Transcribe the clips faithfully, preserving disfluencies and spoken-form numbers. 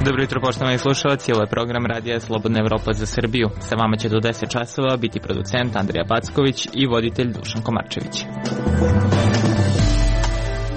Dobro jutro, poštovani slušalci, ovo je program Radija Slobodna Evropa za Srbiju. Sa vama će do deset časova biti producent Andrija Packović i voditelj Dušan Komarčević.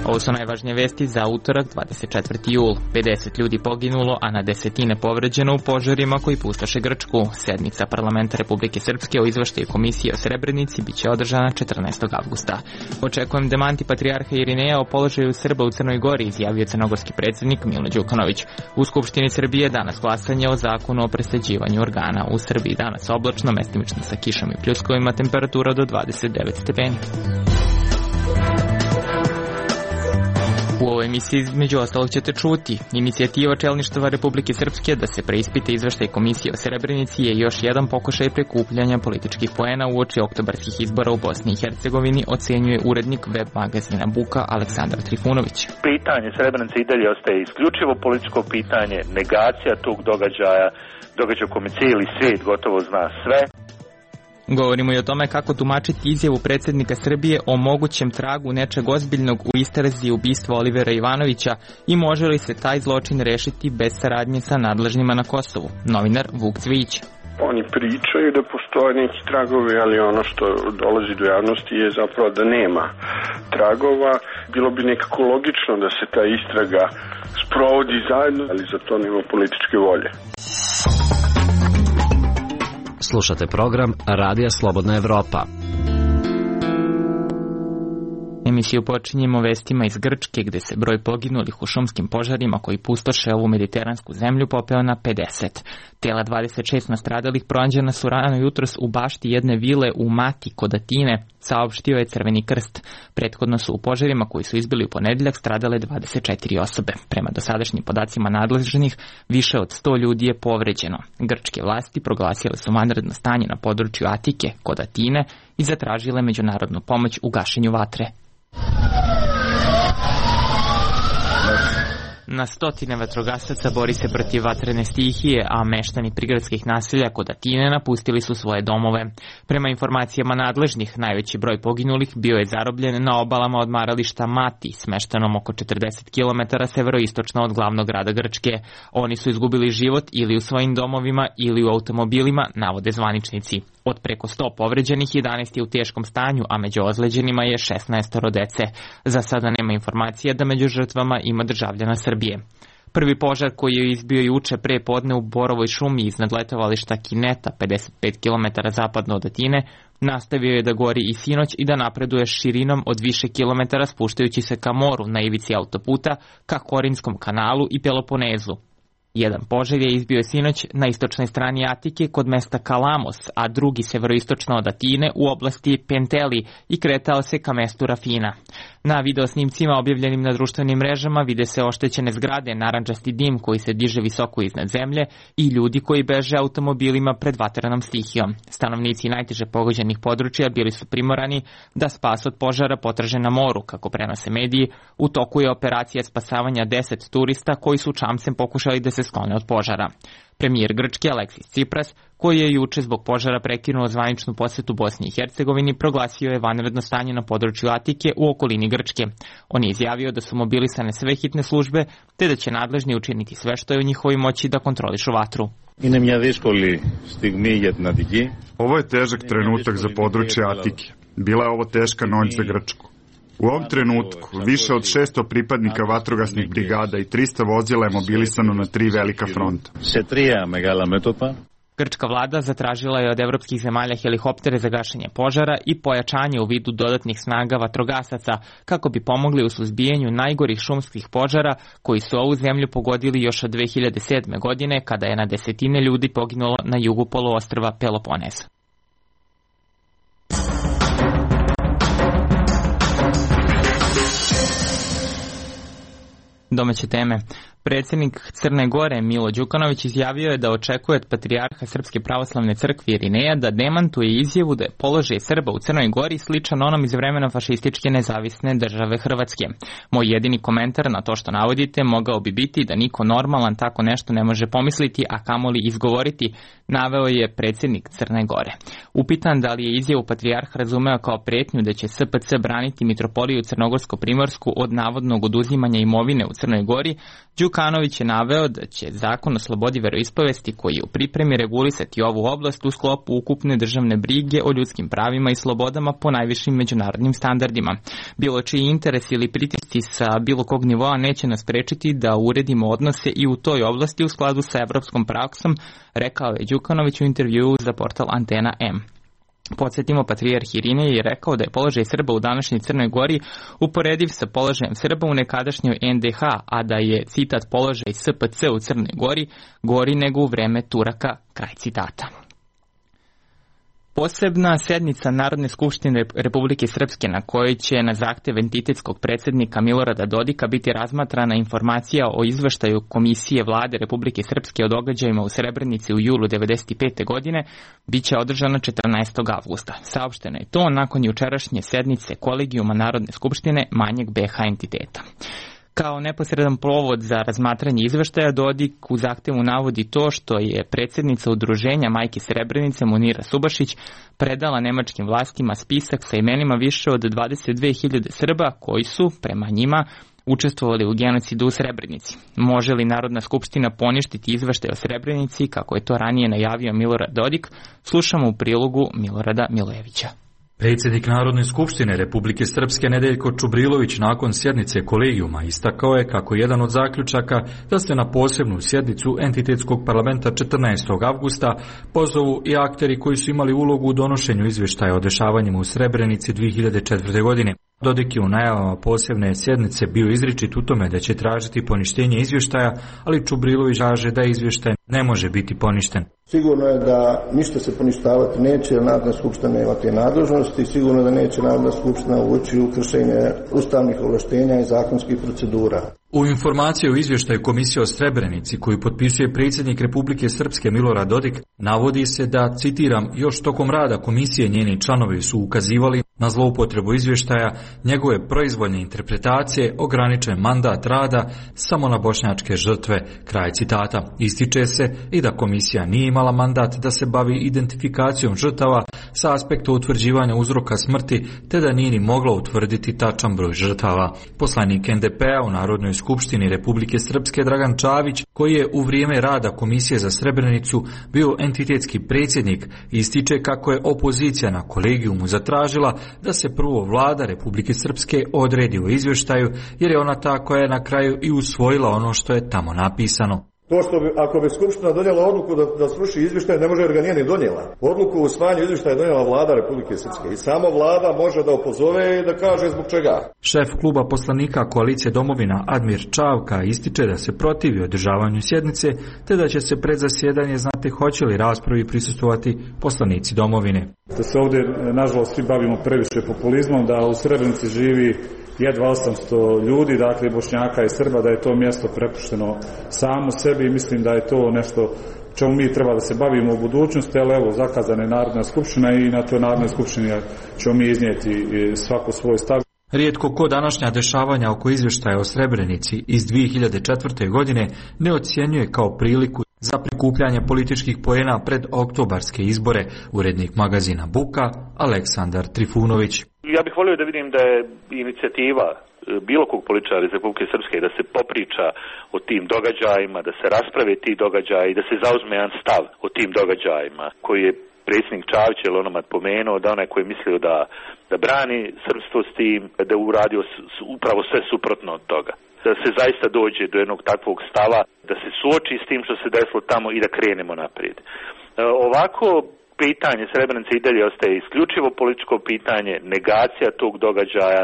Ovo su najvažnije vesti za utorak, dvadeset četvrti jul. pedeset ljudi poginulo, a na desetine povređeno u požarima koji pustoše Grčku. Sednica parlamenta Republike Srpske o izveštaju komisije o Srebrenici biće održana četrnaestog avgusta. Očekujem demanti patrijarha Irineja o položaju Srba u Crnoj Gori, izjavio crnogorski predsjednik Milo Đukanović. U Skupštini Srbije danas glasanje o zakonu o presađivanju organa. U Srbiji danas oblačno, mestimično sa kišom i pljuskovima, temperatura do dvadeset devet stepeni. U ovoj emisiji između ostalog ćete čuti. Inicijativa čelništva Republike Srpske da se preispita izveštaj komisije o Srebrenici je još jedan pokušaj prikupljanja političkih poena uoči oktobarskih izbora u Bosni i Hercegovini, ocenjuje urednik web magazina Buka Aleksandar Trifunović. Pitanje Srebrenice i dalje ostaje isključivo političko pitanje, negacija tog događaja, događaja u kome cijeli svijet gotovo zna sve. Govorimo i o tome kako tumačiti izjavu predsjednika Srbije o mogućem tragu nečeg ozbiljnog u istrazi ubistva Olivera Ivanovića i može li se taj zločin rešiti bez saradnje sa nadležnima na Kosovu. Novinar Vuk Cvijić. Oni pričaju da postoje neki tragovi, ali ono što dolazi do javnosti je zapravo da nema tragova. Bilo bi nekako logično da se ta istraga sprovodi zajedno, ali za to nema političke volje. Slušate program Radija Slobodna Evropa. Emisiju počinjemo vestima iz Grčke, gde se broj poginulih u šumskim požarima koji pustoše ovu mediteransku zemlju popeo na pedeset. Tela dvadeset šest nastradalih pronađena su rano jutros u bašti jedne vile u Mati kod Atine, saopštio je Crveni krst. Prethodno su u požarima koji su izbili u ponedeljak stradale dvadeset četiri osobe. Prema dosadašnjim podacima nadležnih, više od sto ljudi je povređeno. Grčke vlasti proglasile su vanredno stanje na području Atike kod Atine i zatražile međunarodnu pomoć u gašenju vatre. Na stotine vatrogasaca bori se protiv vatrene stihije, a meštani prigradskih naselja kod Atine napustili su svoje domove. Prema informacijama nadležnih, najveći broj poginulih bio je zarobljen na obalama odmarališta Mati, smeštenom oko četrdeset kilometara severoistočno od glavnog grada Grčke. Oni su izgubili život ili u svojim domovima ili u automobilima, navode zvaničnici. Od preko sto povređenih, jedanaest je u teškom stanju, a među ozleđenima je šesnaest dece. Za sada nema informacija da među žrtvama ima državljana Srbije. Prvi požar koji je izbio juče pre podne u Borovoj šumi iznad letovališta Kineta, pedeset pet kilometara zapadno od Atine, nastavio je da gori i sinoć i da napreduje širinom od više kilometara spuštajući se ka moru na ivici autoputa, ka Korinskom kanalu i Peloponezu. Jedan požar je izbio sinoć na istočnoj strani Atike kod mesta Kalamos, a drugi severoistočno od Atine u oblasti Penteli i kretao se ka mestu Rafina. Na videosnimcima objavljenim na društvenim mrežama vide se oštećene zgrade, narandžasti dim koji se diže visoko iznad zemlje i ljudi koji beže automobilima pred vatrenom stihijom. Stanovnici najteže pogođenih područja bili su primorani da spas od požara potraže na moru, kako prenose mediji. U toku je operacija spasavanja deset turista koji su čamcem pokušali da se sklone od požara. Premijer Grčke Aleksis Tsipras, koji je juče zbog požara prekinuo zvaničnu posetu Bosni i Hercegovini, proglasio je vanredno stanje na području Atike u okolini Grčke. On je izjavio da su mobilisane sve hitne službe, te da će nadležni učiniti sve što je u njihovoj moći da kontrolišu vatru. Ovo je težak trenutak za područje Atike. Bila je ovo teška noć za Grčku. U ovom trenutku više od šesto pripadnika vatrogasnih brigada i trista vozila je mobilisano na tri velika fronta. Grčka vlada zatražila je od evropskih zemalja helikoptere za gašenje požara i pojačanje u vidu dodatnih snaga vatrogasaca kako bi pomogli u suzbijanju najgorih šumskih požara koji su ovu zemlju pogodili još od dve hiljade sedme. godine kada je na desetine ljudi poginulo na jugu poluostrva Peloponez. Domaće teme. Predsjednik Crne Gore Milo Đukanović izjavio je da očekuje od patrijarha Srpske pravoslavne crkve Irineja da demantuje izjavu da je položaj Srba u Crnoj Gori sličan onom iz vremena fašističke nezavisne države Hrvatske. Moj jedini komentar na to što navodite mogao bi biti da niko normalan tako nešto ne može pomisliti, a kamoli izgovoriti, naveo je predsjednik Crne Gore. Upitan da li je izjavu patrijarh razumeo kao pretnju da će S P C braniti mitropoliju Crnogorsko-Primorsku od navodnog oduzimanja imovine u Crnoj Gori, Đukanović je naveo da će zakon o slobodi veroispovesti koji je u pripremi regulisati ovu oblast u sklopu ukupne državne brige o ljudskim pravima i slobodama po najvišim međunarodnim standardima. Bilo čiji interes ili pritisci sa bilo kog nivoa neće nas sprečiti da uredimo odnose i u toj oblasti u skladu sa evropskom praksom, rekao je Đukanović u intervjuu za portal Antena M. Podsjetimo, patrijarh Irinej je rekao da je položaj Srba u današnjoj Crnoj Gori uporediv sa položajem Srba u nekadašnjoj en de ha, a da je, citat, položaj es pe ce u Crnoj Gori gori nego u vreme Turaka, kraj citata. Posebna sednica Narodne skupštine Republike Srpske na kojoj će na zahtev entitetskog predsjednika Milorada Dodika biti razmatrana informacija o izveštaju Komisije Vlade Republike Srpske o događajima u Srebrenici u julu devedeset pete. godine, bit će održana četrnaestog avgusta. Saopšteno je to nakon jučerašnje sednice Kolegijuma Narodne skupštine manjeg be ha entiteta. Kao neposredan povod za razmatranje izveštaja, Dodik u zahtevu navodi to što je predsjednica udruženja Majke Srebrenice Munira Subašić predala nemačkim vlastima spisak sa imenima više od dvadeset dve hiljade Srba koji su, prema njima, učestvovali u genocidu u Srebrenici. Može li Narodna skupština poništiti izveštaj o Srebrenici, kako je to ranije najavio Milorad Dodik, slušamo u prilogu Milorada Milojevića. Predsjednik Narodne skupštine Republike Srpske Nedeljko Čubrilović nakon sjednice kolegijuma istakao je kako jedan od zaključaka da se na posebnu sjednicu entitetskog parlamenta četrnaestog avgusta pozovu i akteri koji su imali ulogu u donošenju izvještaja o dešavanjima u Srebrenici dvije hiljade četvrte. godine. Dodik je u najavama posebne sjednice bio izričit u tome da će tražiti poništenje izvještaja, ali Čubrilović kaže da izvještaj ne može biti poništen. Sigurno je da ništa se poništavati neće, jer Narodna skupština nema te nadležnosti, sigurno da neće Narodna skupština ući u kršenje ustavnih ovlaštenja i zakonskih procedura. U informaciji o izvještaju Komisije o Srebrenici koju potpisuje predsjednik Republike Srpske Milorad Dodik navodi se da, citiram, još tokom rada komisije njeni članovi su ukazivali na zloupotrebu izvještaja, njegove proizvoljne interpretacije, ograničen mandat rada samo na bošnjačke žrtve, kraj citata. Ističe se i da komisija nije imala mandat da se bavi identifikacijom žrtava sa aspekta utvrđivanja uzroka smrti, te da nije ni mogla utvrditi tačan broj žrtava. Poslanik en de pe-a u Narodnoj skupštini Republike Srpske Dragan Čavić, koji je u vrijeme rada Komisije za Srebrenicu bio entitetski predsjednik, ističe kako je opozicija na kolegijumu zatražila da se prvo vlada Republike Srpske odredi u izvještaju, jer je ona ta koja je na kraju i usvojila ono što je tamo napisano. To što bi, ako bi Skupština donijela odluku da, da sruši izvještaj, ne može jer ga nije ni donijela. Odluku u usvajanju izvještaja je donijela vlada Republike Srpske i samo vlada može da opozove i da kaže zbog čega. Šef kluba poslanika Koalicije Domovina Admir Čavka ističe da se protivi održavanju sjednice, te da će se pred zasjedanje znati hoće li raspravi prisustvovati poslanici Domovine. Da se ovdje, nažalost, svi bavimo previše populizmom, da u Srebrenici živi jedva osamsto ljudi, dakle Bošnjaka i Srba, da je to mjesto prepušteno samo sebi i mislim da je to nešto čemu mi treba da se bavimo u budućnosti, ali evo, zakazana je Narodna skupština i na toj Narodnoj skupštini ćemo mi iznijeti svako svoj stav. Rijetko ko današnja dešavanja oko izvještaja o Srebrenici iz dvije hiljade četvrte. godine ne ocjenjuje kao priliku za prikupljanje političkih poena pred oktobarske izbore, urednik magazina Buka Aleksandar Trifunović. Ja bih volio da vidim da je inicijativa bilo kog političara iz Republike Srpske da se popriča o tim događajima, da se rasprave ti događaji, da se zauzme jedan stav o tim događajima koji je predsjednik Čavić ili onomad pomenuo, da onaj koji je mislio da, da brani srpstvo s tim, da je uradio upravo sve suprotno od toga. Da se zaista dođe do jednog takvog stava, da se suoči s tim što se desilo tamo i da krenemo naprijed. E, ovako, pitanje Srebrenice i dalje ostaje isključivo političko pitanje, negacija tog događaja,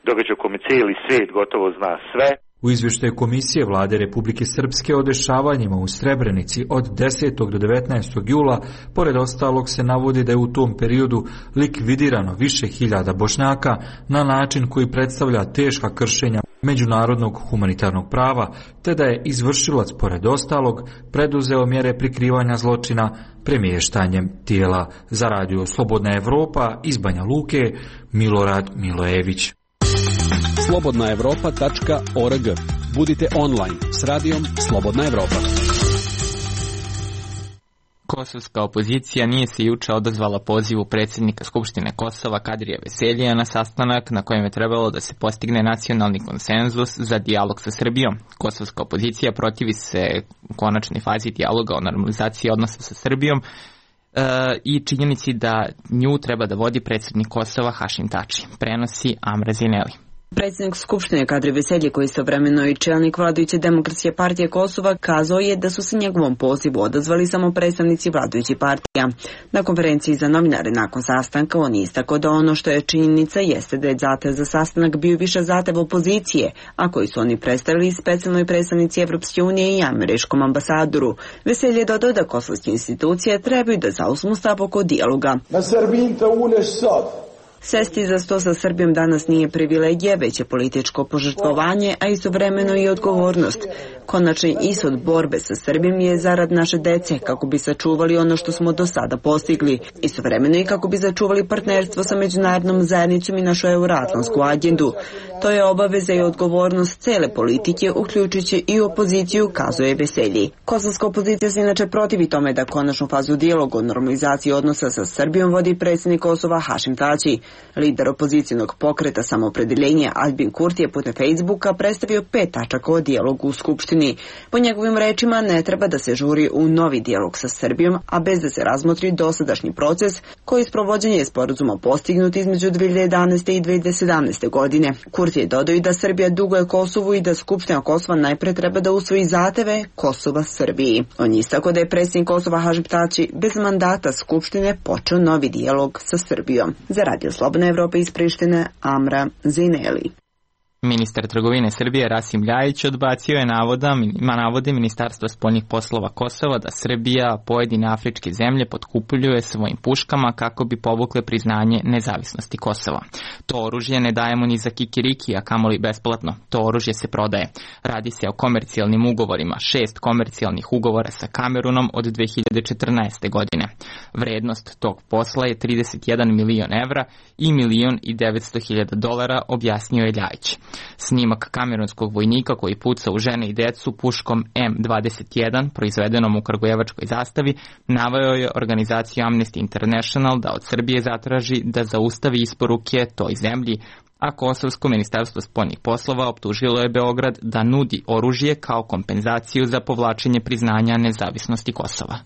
događaj o kome cijeli svijet gotovo zna sve. U izvještaju Komisije Vlade Republike Srpske o dešavanjima u Srebrenici od desetog do devetnaestog jula, pored ostalog se navodi da je u tom periodu likvidirano više hiljada Bošnjaka na način koji predstavlja teška kršenja međunarodnog humanitarnog prava, te da je izvršilac pored ostalog preduzeo mjere prikrivanja zločina premještanjem tijela. Za radio Slobodna Evropa iz Banja Luke, Milorad Milojević. slobodna evropa tačka org. Budite online s radijom Slobodna Evropa. Kosovska opozicija nije se juče odazvala pozivu predsjednika Skupštine Kosova Kadrija Veseljija na sastanak na kojem je trebalo da se postigne nacionalni konsenzus za dijalog sa Srbijom. Kosovska opozicija protivi se u konačnoj fazi dijaloga o normalizaciji odnosa sa Srbijom e, i činjenici da nju treba da vodi predsjednik Kosova Hašim Tači. Prenosi Amra Zineli. Predsjednik Skupštine Kadri Veselji, koji istovremeno i čelnik vladajuće Demokratske partije Kosova, kazao je da su se njegovom pozivu odazvali samo predstavnici vladajućih partija. Na konferenciji za novinare nakon sastanka on je istakao da ono što je činjenica jeste da je zahtev za sastanak bio više zahtev opozicije, a koji su oni predstavili specijalnoj predstavnici Evropske unije i američkom ambasadoru. Veselji je dodao da kosovske institucije trebaju da zauzmu stav oko dijaloga. Na Srbin te uneš sad. Sesti za sto sa Srbijom danas nije privilegija, već je političko požrtvovanje, a istovremeno i odgovornost. Konačni ishod borbe sa Srbijom je zarad naše dece, kako bi sačuvali ono što smo do sada postigli. Istovremeno i kako bi sačuvali partnerstvo sa međunarodnom zajednicom i našu euroatlantsku agendu. To je obaveza i odgovornost cele politike, uključujući i opoziciju, kazuje Veselji. Kosovska opozicija se inače protivi tome da konačnu fazu dijaloga o normalizaciji odnosa sa Srbijom vodi predsjednik Kosova Hašim Tači. Lider opozicijnog pokreta Samoopredeljenje Albin Kurti je putem Facebooka predstavio pet tačaka o dijalogu u Skupštini. Po njegovim rečima ne treba da se žuri u novi dijalog sa Srbijom, a bez da se razmotri dosadašnji proces koji je sprovođenje sporazuma postignut između dve hiljade jedanaeste i dve hiljade sedamnaeste godine. Kurti je dodao i da Srbija duguje Kosovu i da Skupština Kosova najpre treba da usvoji zahteve Kosova Srbiji. On je istakao da je predsjednik Kosova Hašim Tači bez mandata Skupštine počeo novi dijalog sa Srbijom. Za Radio Slobodna Evropa iz Prištine, Amra Zineli. Ministar trgovine Srbije Rasim Ljajić odbacio je navoda, navode Ministarstva spoljnih poslova Kosova da Srbija pojedine afričke zemlje potkupljuje svojim puškama kako bi povukle priznanje nezavisnosti Kosova. To oružje ne dajemo ni za kikiriki, a kamoli besplatno. To oružje se prodaje. Radi se o komercijalnim ugovorima, šest komercijalnih ugovora sa Kamerunom od dve hiljade četrnaeste. godine. Vrednost tog posla je trideset jedan milion evra i milion i devetsto hiljada dolara, objasnio je Ljajić. Snimak kamerunskog vojnika koji puca u žene i decu puškom M dvadeset jedan, proizvedenom u kragujevačkoj zastavi, naveo je organizaciju Amnesty International da od Srbije zatraži da zaustavi isporuke toj zemlji, a Kosovsko ministarstvo spoljnih poslova optužilo je Beograd da nudi oružje kao kompenzaciju za povlačenje priznanja nezavisnosti Kosova.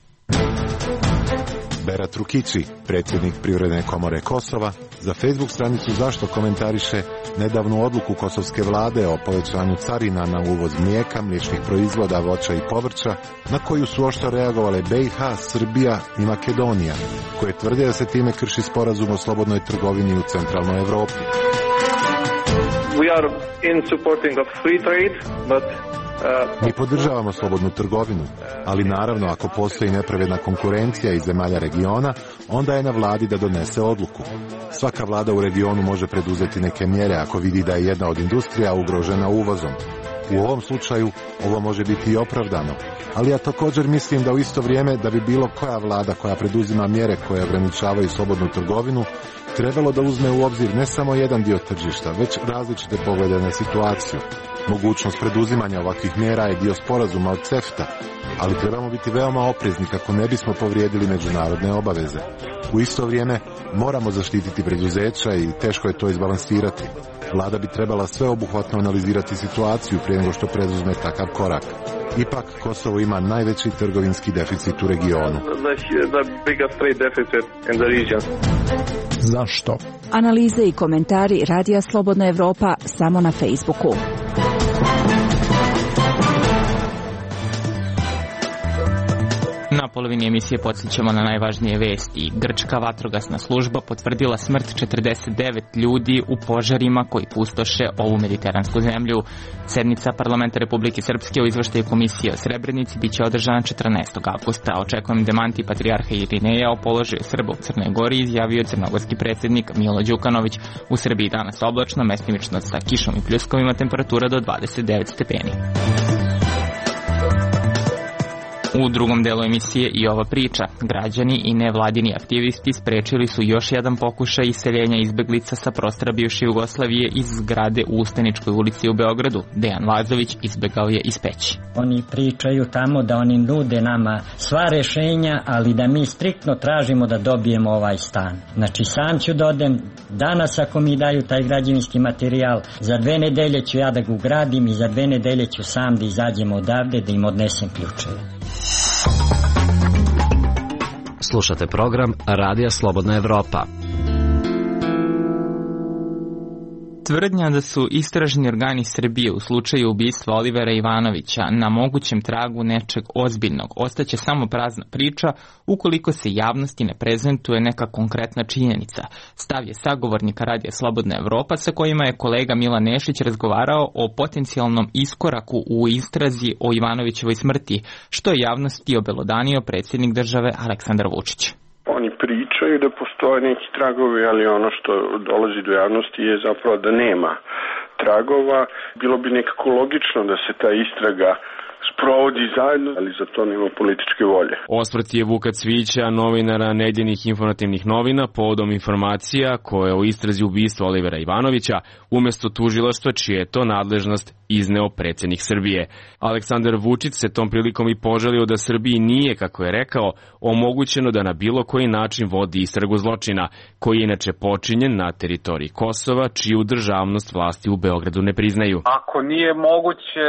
Berat Rukići, predsjednik Privredne komore Kosova, za Facebook stranicu Zašto komentariše nedavnu odluku kosovske vlade o povećanju carina na uvoz mlijeka, mliječnih proizvoda, voća i povrća, na koju su oštro reagovale B i H, Srbija i Makedonija, koje tvrde da se time krši sporazum o slobodnoj trgovini u centralnoj Evropi. We are in supporting of free trade, but Mi podržavamo slobodnu trgovinu, ali naravno ako postoji nepravedna konkurencija iz zemalja regiona, onda je na vladi da donese odluku. Svaka vlada u regionu može preduzeti neke mjere ako vidi da je jedna od industrija ugrožena uvozom. U ovom slučaju ovo može biti i opravdano, ali ja također mislim da u isto vrijeme da bi bilo koja vlada koja preduzima mjere koje ograničavaju slobodnu trgovinu trebalo da uzme u obzir ne samo jedan dio tržišta, već različite poglede na situaciju. Mogućnost preduzimanja ovakvih mjera je dio sporazuma od CEFTA, ali trebamo biti veoma oprezni kako ne bismo povrijedili međunarodne obaveze. U isto vrijeme moramo zaštititi preduzeća i teško je to izbalansirati. Vlada bi trebala sveobuhvatno analizirati situaciju prije nego što preduzme takav korak. Ipak, Kosovo ima najveći trgovinski deficit u regionu. Zašto? Analize i komentari Radija Slobodna Evropa samo na Facebooku. Na polovini emisije podsjećamo na najvažnije vesti. Grčka vatrogasna služba potvrdila smrt četrdeset devet ljudi u požarima koji pustoše ovu mediteransku zemlju. Sednica Parlamenta Republike Srpske o izveštaju Komisije o Srebrenici biće održana četrnaestog avgusta. Očekujem demanti patrijarha Irineja o položaju Srba u Crnoj Gori, izjavio crnogorski predsjednik Milo Đukanović. U Srbiji danas oblačno, mestimično sa kišom i pljuskovima, temperatura do dvadeset devet stepeni. U drugom delu emisije i ova priča. Građani i nevladini aktivisti sprečili su još jedan pokušaj iseljenja izbeglica sa prostora bivše Jugoslavije iz zgrade u Ustaničkoj ulici u Beogradu. Dejan Lazović izbegao je iz Peći. Oni pričaju tamo da oni nude nama sva rešenja, ali da mi striktno tražimo da dobijemo ovaj stan. Znači sam ću da odem danas ako mi daju taj građevinski materijal, za dve nedelje ću ja da ga ugradim i za dve nedelje ću sam da izađem odavde da im odnesem ključeve. Slušate program Radija Slobodna Evropa. Tvrdnja da su istražni organi Srbije u slučaju ubistva Olivera Ivanovića na mogućem tragu nečeg ozbiljnog ostaće samo prazna priča ukoliko se javnosti ne prezentuje neka konkretna činjenica. Stav je sagovornika Radija Slobodna Evropa sa kojima je kolega Milan Nešić razgovarao o potencijalnom iskoraku u istrazi o Ivanovićevoj smrti, što je javnosti obelodanio predsjednik države Aleksandar Vučić. Oni pričaju da postoje neki tragovi, ali ono što dolazi do javnosti je zapravo da nema tragova. Bilo bi nekako logično da se ta istraga sprovodi zajedno, ali za to nema političke volje. Osvrt je Vuka Cvijića, novinara Nedeljnih informativnih novina, povodom informacija koje o istrazi ubistva Olivera Ivanovića umesto tužilaštva, čije je to nadležnost, izneo predsjednik Srbije. Aleksandar Vučić se tom prilikom i požalio da Srbiji nije, kako je rekao, omogućeno da na bilo koji način vodi istragu zločina, koji je inače počinjen na teritoriji Kosova, čiju državnost vlasti u Beogradu ne priznaju. Ako nije moguće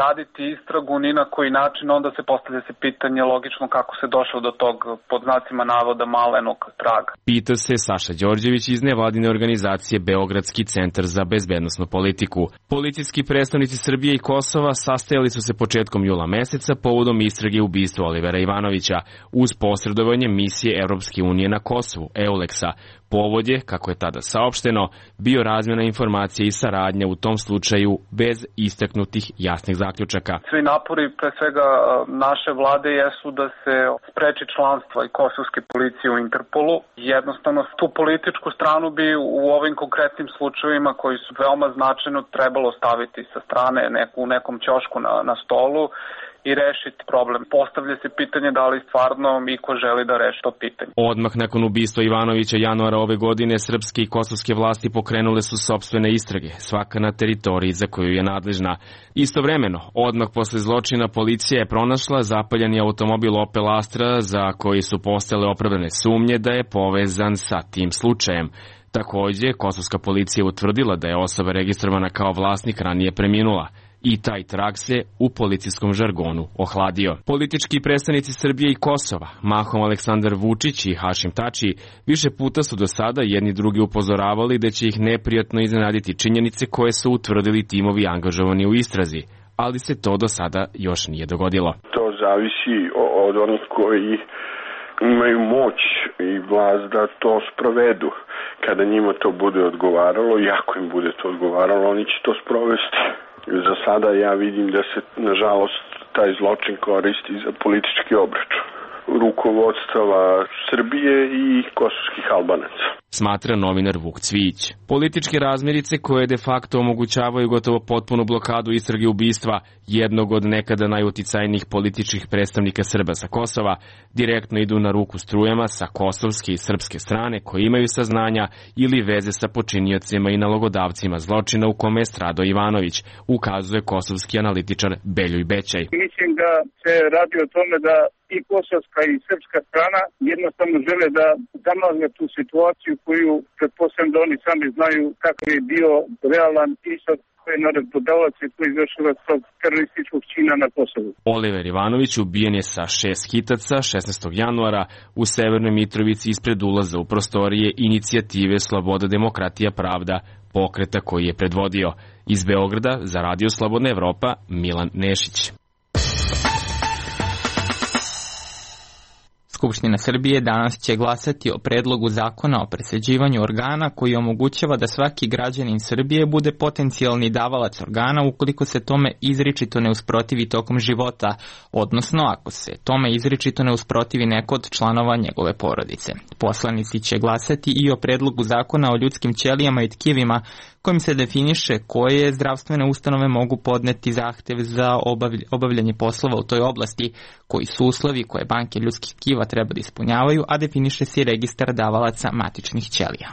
raditi istragu ni na koji način, onda se postavlja se pitanje logično kako se došlo do tog, pod znacima navoda, malenog traga. Pita se Saša Đorđević iz nevladine organizacije Beogradski centar za bezbednosnu politiku. Policijski predstavnici Srbije i Kosova sastajali su se početkom jula meseca povodom istrage ubistva Olivera Ivanovića uz posredovanje misije Evropske unije na Kosovu, EULEX-a. Povod je, kako je tada saopšteno, bio razmjena informacija i saradnja u tom slučaju bez istaknutih jasnih zaključaka. Svi napori, pre svega naše vlade, jesu da se spreči članstva i kosovske policije u Interpolu. Jednostavno, tu političku stranu bi u ovim konkretnim slučajevima, koji su veoma značajno, trebalo staviti sa strane neku, u nekom ćošku na, na stolu i rešiti problem. Postavlja se pitanje da li stvarno iko želi da reši to pitanje. Odmah nakon ubistva Ivanovića januara ove godine, srpske i kosovske vlasti pokrenule su sopstvene istrage, svaka na teritoriji za koju je nadležna. Istovremeno, odmah posle zločina, policija je pronašla zapaljeni automobil Opel Astra za koji su postale opravdane sumnje da je povezan sa tim slučajem. Takođe, kosovska policija utvrdila da je osoba registrovana kao vlasnik ranije preminula. I taj trag se u policijskom žargonu ohladio. Politički predstavnici Srbije i Kosova, mahom Aleksandar Vučić i Hašim Tači, više puta su do sada jedni drugi upozoravali da će ih neprijatno iznenaditi činjenice koje su utvrdili timovi angažovani u istrazi, ali se to do sada još nije dogodilo. To zavisi od onih koji imaju moć i vlast da to sprovedu. Kada njima to bude odgovaralo i ako im bude to odgovaralo, oni će to sprovesti. Za sada ja vidim da se, nažalost, taj zločin koristi za politički obračun rukovodstava Srbije i kosovskih Albanaca. Smatra novinar Vuk Cvijić. Političke razmirice koje de facto omogućavaju gotovo potpunu blokadu istrage ubistva jednog od nekada najuticajnijih političkih predstavnika Srba sa Kosova direktno idu na ruku strujama sa kosovske i srpske strane koji imaju saznanja ili veze sa počiniocima i nalogodavcima zločina u kome je stradao Ivanović, ukazuje kosovski analitičar Beljoj Bećaj. Mislim da se radi o tome da i kosovska i srpska strana jednostavno žele da zamagle tu situaciju koju pretpostavljam da oni sami znaju kakav je bio realan ishod koji je naredbodavac i koji izvršila tog terorističkog čina na Kosovu. Oliver Ivanović ubijen je sa šest hitaca šesnaestog januara u Severnoj Mitrovici ispred ulaza u prostorije inicijative Sloboda, demokratija, pravda, pokreta koji je predvodio. Iz Beograda za Radio Slobodna Evropa, Milan Nešić. Skupština Srbije danas će glasati o predlogu zakona o presađivanju organa koji omogućava da svaki građanin Srbije bude potencijalni davalac organa ukoliko se tome izričito ne usprotivi tokom života, odnosno ako se tome izričito ne usprotivi neko od članova njegove porodice. Poslanici će glasati i o predlogu zakona o ljudskim ćelijama i tkivima kojim se definiše koje zdravstvene ustanove mogu podneti zahtev za obavljanje poslova u toj oblasti, koji su uslovi koje banke ljudskih tkiva treba da ispunjavaju, a definiše se i registar davalaca matičnih ćelija.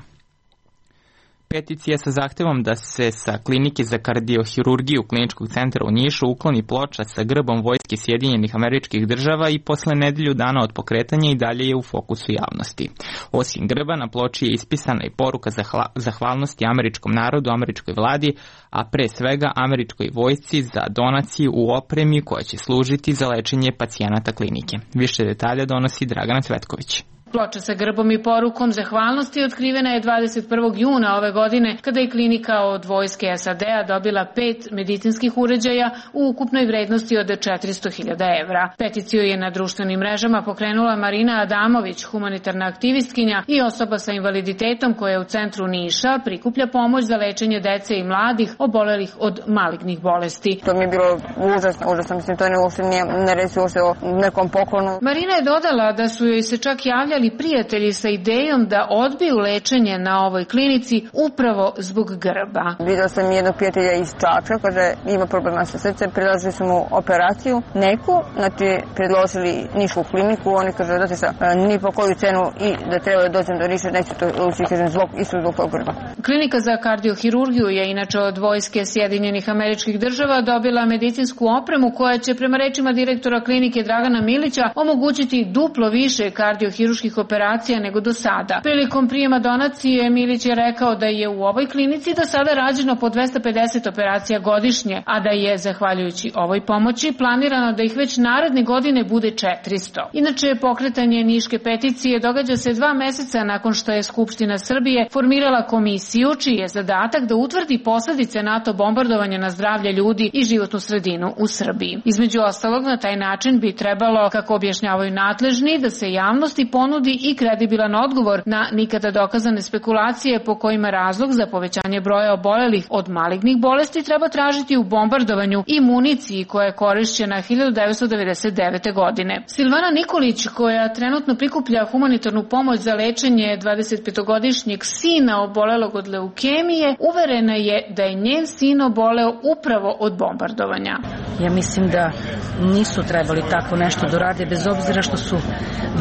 Peticija sa zahtevom da se sa klinike za kardiohirurgiju Kliničkog centra u Nišu ukloni ploča sa grbom Vojske Sjedinjenih Američkih Država i posle nedelju dana od pokretanja i dalje je u fokusu javnosti. Osim grba, na ploči je ispisana i poruka zahvalnosti američkom narodu, američkoj vladi, a pre svega američkoj vojsci za donaciju u opremi koja će služiti za lečenje pacijenata klinike. Više detalja donosi Dragana Cvetković. Ploča sa grbom i porukom zahvalnosti otkrivena je dvadeset prvog juna ove godine, kada je klinika od vojske S A D-a dobila pet medicinskih uređaja u ukupnoj vrednosti od četiristo hiljada evra. Peticiju je na društvenim mrežama pokrenula Marina Adamović, humanitarna aktivistkinja i osoba sa invaliditetom koja u centru Niša prikuplja pomoć za lečenje dece i mladih obolelih od malignih bolesti. To mi je bilo užasno, užasno, mislim, to ne uopšte nije, ne reci uopšte o nekom poklonu. Marina je dodala da su joj se čak javljali prijatelji sa idejom da odbiju lečenje na ovoj klinici upravo zbog grba. Videla sam jednog prijatelja iz Čačka, kaže ima problema sa srcem, predložili su mu operaciju neku, znači predložili Nišku kliniku, oni kaže da se ni po koju cenu i da treba da dođem do Niša, neću to ući, kažem, zbog, isto zbog tog grba. Klinika za kardiohirurgiju je inače od Vojske Sjedinjenih Američkih Država dobila medicinsku opremu koja će prema rečima direktora klinike Dragana Milića omogućiti duplo više kardiohirurških operacija nego do sada. Prilikom prijema donacije Milić je rekao da je u ovoj klinici do sada rađeno po dvesta pedeset operacija godišnje, a da je, zahvaljujući ovoj pomoći, planirano da ih već naredne godine bude četiristo. Inače, pokretanje Niške peticije događa se dva meseca nakon što je Skupština Srbije formirala komisiju čiji je zadatak da utvrdi posledice NATO bombardovanja na zdravlje ljudi i životnu sredinu u Srbiji. Između ostalog, na taj način bi trebalo, kako objašnjavaju nadležni, da se javnosti ponudi i kredibilan odgovor na nikada dokazane spekulacije po kojima razlog za povećanje broja obolelih od malignih bolesti treba tražiti u bombardovanju i municiji koja je korišćena hiljadu devetsto devedeset devete. godine. Silvana Nikolić, koja trenutno prikuplja humanitarnu pomoć za lečenje dvadesetpetogodišnjeg sina obolelog od leukemije, uverena je da je njen sin oboleo upravo od bombardovanja. Ja mislim da nisu trebali tako nešto da rade, bez obzira što su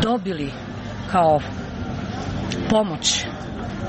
dobili kao pomoć.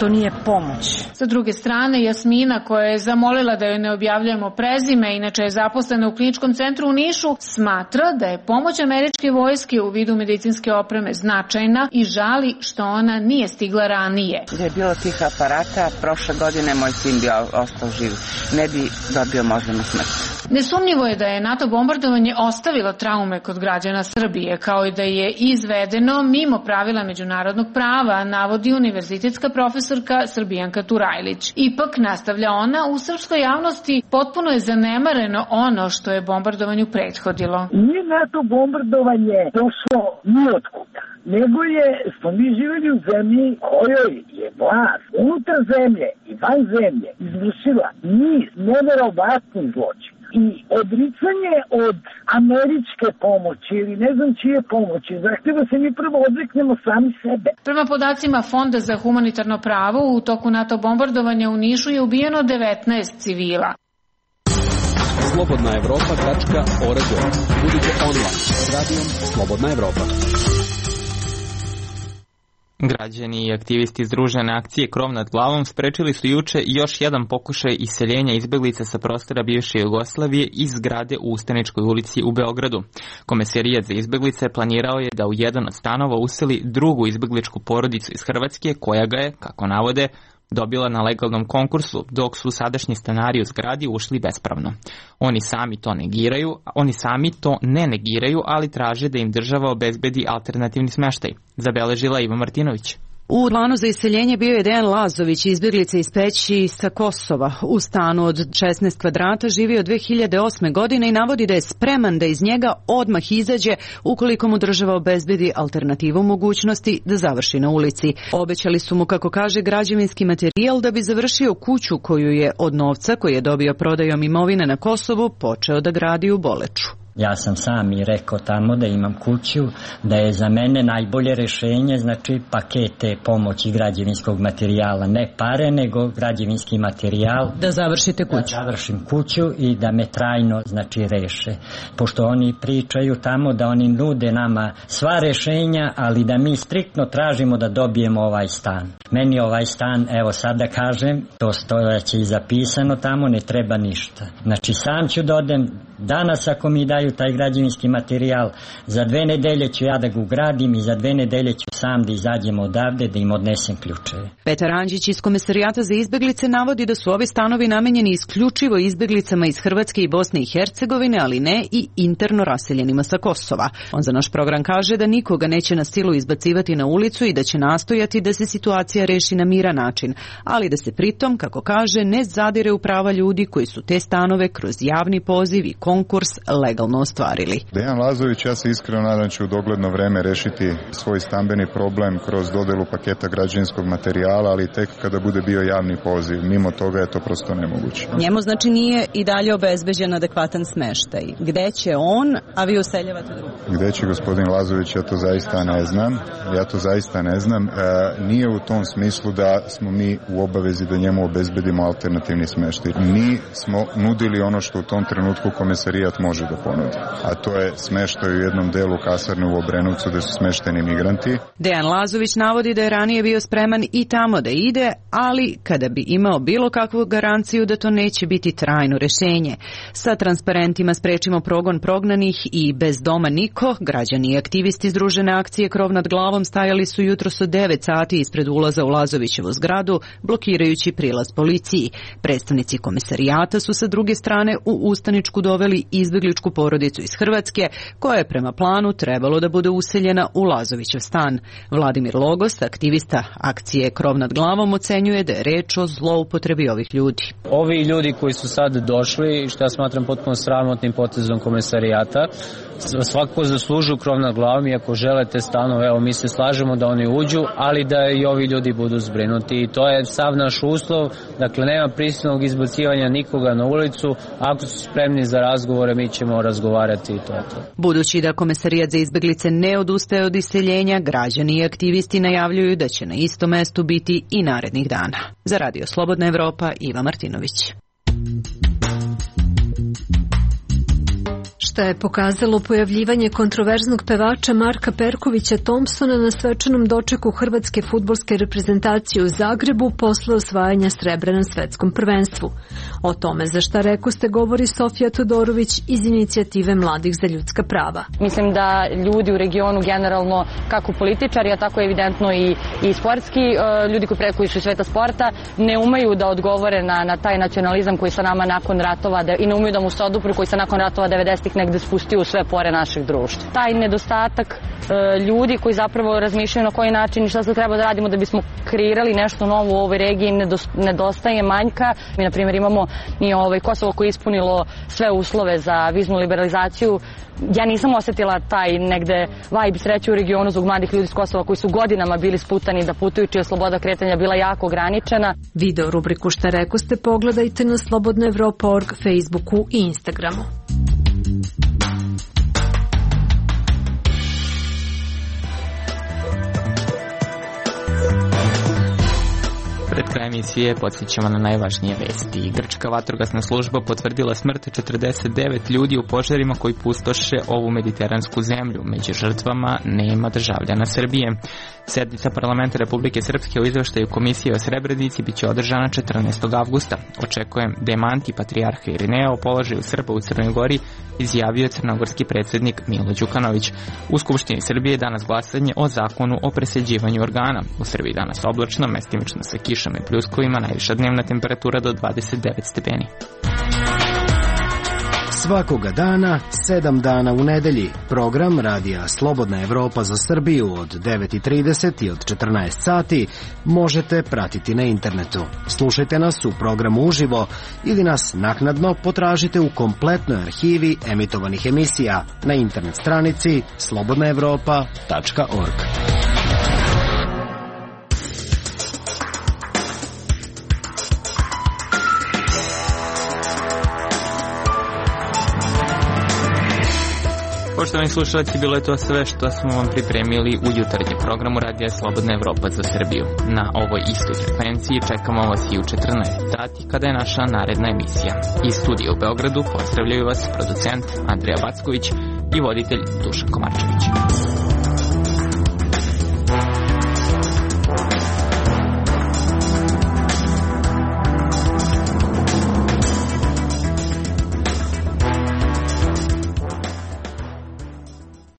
To nije pomoć. Sa druge strane, Jasmina, koja je zamolila da joj ne objavljujemo prezime, inače je zaposlena u Kliničkom centru u Nišu, smatra da je pomoć američke vojske u vidu medicinske opreme značajna i žali što ona nije stigla ranije. Da je bilo tih aparata, prošle godine moj sin bi ostao živ. Ne bi dobio moždanu smrt. Nesumnjivo je da je NATO bombardovanje ostavilo traume kod građana Srbije, kao i da je izvedeno mimo pravila međunarodnog prava, navodi univerzitetska profesorka Srbijanka Turajlić. Ipak, nastavlja ona, u srpskoj javnosti potpuno je zanemareno ono što je bombardovanju prethodilo. Nije NATO bombardovanje došlo nijotkuda, nego je, smo mi živjeli u zemlji kojoj je vlast unutar zemlje i van zemlje izvršila niz neverovatnih zločina. I odricanje od američke pomoći ili ne znam čije pomoći zahteva se mi prvo odreknemo sami sebe. Prema podacima Fonda za humanitarno pravo, u toku NATO bombardovanja u Nišu je ubijeno devetnaest civila. slobodna evropa tačka org. Budite online s radijom Slobodna Evropa. Građani i aktivisti Združene akcije Krov nad glavom sprečili su juče još jedan pokušaj iseljenja izbeglica sa prostora bivše Jugoslavije iz zgrade u Ustaničkoj ulici u Beogradu. Komesarijat za izbeglice planirao je da u jedan od stanova useli drugu izbegličku porodicu iz Hrvatske koja ga je, kako navode, dobila na legalnom konkursu, dok su sadašnji stanari u zgradi ušli bespravno. Oni sami to negiraju, oni sami to ne negiraju, ali traže da im država obezbedi alternativni smeštaj, zabeležila Iva Martinović. U planu za iseljenje bio je Dejan Lazović, izbjeglica iz Peći sa Kosova. U stanu od šesnaest kvadrata živio dve hiljade osme. godine i navodi da je spreman da iz njega odmah izađe ukoliko mu država obezbedi alternativu mogućnosti da završi na ulici. Obećali su mu, kako kaže, građevinski materijal da bi završio kuću koju je od novca koji je dobio prodajom imovine na Kosovu počeo da gradi u Boleču. Ja sam sam i rekao tamo da imam kuću, da je za mene najbolje rešenje, znači pakete pomoći građevinskog materijala, ne pare, nego građevinski materijal. Da završite kuću. Da završim kuću i da me trajno, znači, reše. Pošto oni pričaju tamo da oni nude nama sva rešenja, ali da mi striktno tražimo da dobijemo ovaj stan. Meni ovaj stan, evo sad da kažem, to stojaće i zapisano tamo, ne treba ništa. Znači sam ću da odem, danas ako mi daju taj građevinski materijal, za dve nedelje ću ja da ga ugradim i za dve nedelje ću sam da izađem odavde, da im odnesem ključeve. Petar Anđić iz Komesarijata za izbeglice navodi da su ovi stanovi namenjeni isključivo izbeglicama iz Hrvatske i Bosne i Hercegovine, ali ne i interno raseljenima sa Kosova. On za naš program kaže da nikoga neće na silu izbacivati na ulicu i da će nastojati da se situacija reši na miran način, ali da se pritom, kako kaže, ne zadire u prava ljudi koji su te stanove kroz javni poziv i konkurs legalno ostvarili. Dejan Lazović, ja se iskreno nadam, će u dogledno vreme rešiti svoj stambeni problem kroz dodelu paketa građevinskog materijala, ali tek kada bude bio javni poziv. Mimo toga je to prosto nemoguće. Njemu znači nije i dalje obezbeđen adekvatan smeštaj. Gde će on, a vi useljavate drugo? Gde će gospodin Lazović, ja to zaista ne znam. Ja to zaista ne znam. E, nije u tom smislu da smo mi u obavezi da njemu obezbedimo alternativni smeštaj. Mi smo nudili ono što u tom trenutku Komesarijat može da ponudi, a to je smeštaj u jednom delu kasarne u Obrenovcu gde su smešteni migranti. Dejan Lazović navodi da je ranije bio spreman i tamo da ide, ali kada bi imao bilo kakvu garanciju da to neće biti trajno rešenje. Sa transparentima Sprečimo progon prognanih i Bez doma niko, građani i aktivisti Združene akcije Krov nad glavom stajali su jutros od devet sati ispred ulaza u Lazovićevu zgradu, blokirajući prilaz policiji. Predstavnici Komesarijata su sa druge strane u ustaničku doveli izbegličku porodicu iz Hrvatske, koja je prema planu trebalo da bude useljena u Lazovićev stan. Vladimir Logos, aktivista akcije Krov nad glavom, ocenjuje da je reč o zloupotrebi ovih ljudi. Ovi ljudi koji su sad došli, što ja smatram potpuno sramotnim potezom Komesarijata, svakako zaslužuju krov nad glavom i ako želite stanove, evo mi se slažemo da oni uđu, ali da i ovi ljudi budu zbrinuti i to je sav naš uslov, dakle nema prisilnog izbacivanja nikoga na ulicu, ako su spremni za razgovore mi ćemo razgovarati i to je to. Budući da Komesarijat za izbeglice ne odustaje od iseljenja, građani i aktivisti najavljuju da će na istom mestu biti i narednih dana. Za Radio Slobodna Evropa, Iva Martinović. Šta je pokazalo pojavljivanje kontroverznog pevača Marka Perkovića Thompsona na svečanom dočeku hrvatske fudbalske reprezentacije u Zagrebu posle osvajanja srebra na svetskom prvenstvu. O tome za šta rekoste govori Sofija Todorović iz inicijative Mladih za ljudska prava. Mislim da ljudi u regionu generalno, kako političari, a tako evidentno i, i sportski, ljudi koji, pre, koji su iz sveta sporta, ne umeju da odgovore na, na taj nacionalizam koji se nama nakon ratova da, i ne umeju da mu se odupru koji se nakon ratova devedesetih negde spustio u sve pore našeg društva. Taj nedostatak e, ljudi koji zapravo razmišljaju na koji način i šta se treba da radimo da bismo kreirali nešto novo u ovoj regiji nedostaje, manjka. Mi, na primjer, imamo i ovaj Kosovo koje je ispunilo sve uslove za viznu liberalizaciju. Ja nisam osetila taj negde vibe sreće u regionu zbog mladih ljudi iz Kosova koji su godinama bili sputani da putuju, čija sloboda kretanja bila jako ograničena. Video rubriku Šta rekoste pogledajte na slobodna evropa tačka org, Facebooku i Instagramu. Pred krajem emisije podsjećamo na najvažnije vesti. Grčka vatrogasna služba potvrdila smrt četrdeset devet ljudi u požarima koji pustoše ovu mediteransku zemlju. Među žrtvama nema državljana Srbije. Sednica parlamenta Republike Srpske o izveštaju Komisije o Srebrenici biće održana četrnaestog avgusta. Očekujem demanti patrijarha Irineja o položaju Srba u Crnoj Gori, izjavio crnogorski predsjednik Milo Đukanović. U Skupštini Srbije danas glasanje o zakonu o presađivanju organa. U Srbiji danas oblačno, mestimično sa kišom i pljuskovima, najviša dnevna temperatura do dvadeset devet stepeni. Svakoga dana, sedam dana u nedelji. Program Radija Slobodna Evropa za Srbiju od devet i trideset i od četrnaest sati možete pratiti na internetu. Slušajte nas u programu uživo ili nas naknadno potražite u kompletnoj arhivi emitovanih emisija na internet stranici slobodna evropa tačka org. Poštovani slušalci, bilo je to sve što smo vam pripremili u jutarnjem programu Radija Slobodna Evropa za Srbiju. Na ovoj istoj frekvenciji čekamo vas i u četrnaest sati kada je naša naredna emisija. Iz studija u Beogradu pozdravljaju vas producent Andrija Backović i voditelj Dušan Komarčević.